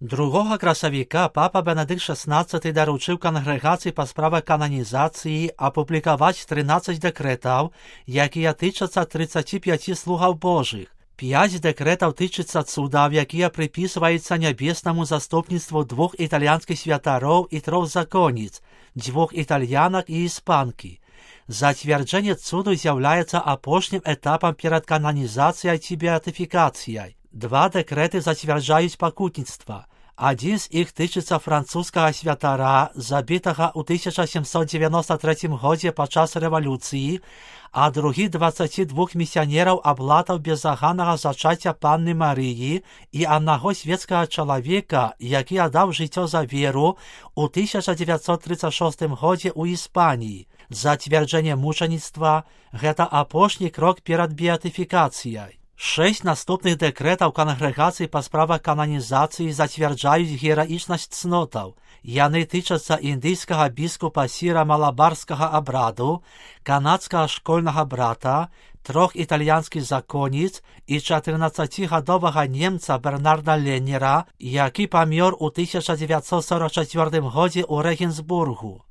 2 красавіка папа Бенедикт XVI даручыў кангрэгацыі па справах кананізацыі апублікаваць 13 дэкрэтаў, якія тычацца 35 слугаў Божых. 5 дэкрэтаў тычыцца цудаў, якія прыпісваюцца нябеснаму заступніцтву 2 італьянскіх святароў і 3 законніц, 2 італьянак і іспанкі. Зацвярджэнне цуду з'яўляецца апошнім этапам перад кананізацыяй ці беатыфікацыяй. 2 дэкрэты зацвярджаюць пакутніцтва. Адзін з іх тычыцца французскага святара, забітага ў 1793 годзе падчас рэвалюцыі, а другі 22 місіянераў аблатаў безаганнага зачацця панны Марыі і аднаго свецкага чалавека, які аддаў жыццё за веру ў 1936 годзе ў Іспаніі. Зацвярджэнне мучаніцтва – гэта апошні крок перад беатыфікацыяй. 6 наступных дэкрэтаў кангрэгацыі па справах кананізацыі зацвярджаюць гераічнасць цнотаў. Яны тычацца індыйскага біскупа Сіра Малабарскага абраду, канадскага школьнага брата, 3 італьянскіх законніц і 14-гадовага немца Бернарда Леннера, які памёр у 1944 годзе ў Рэгенсбургу.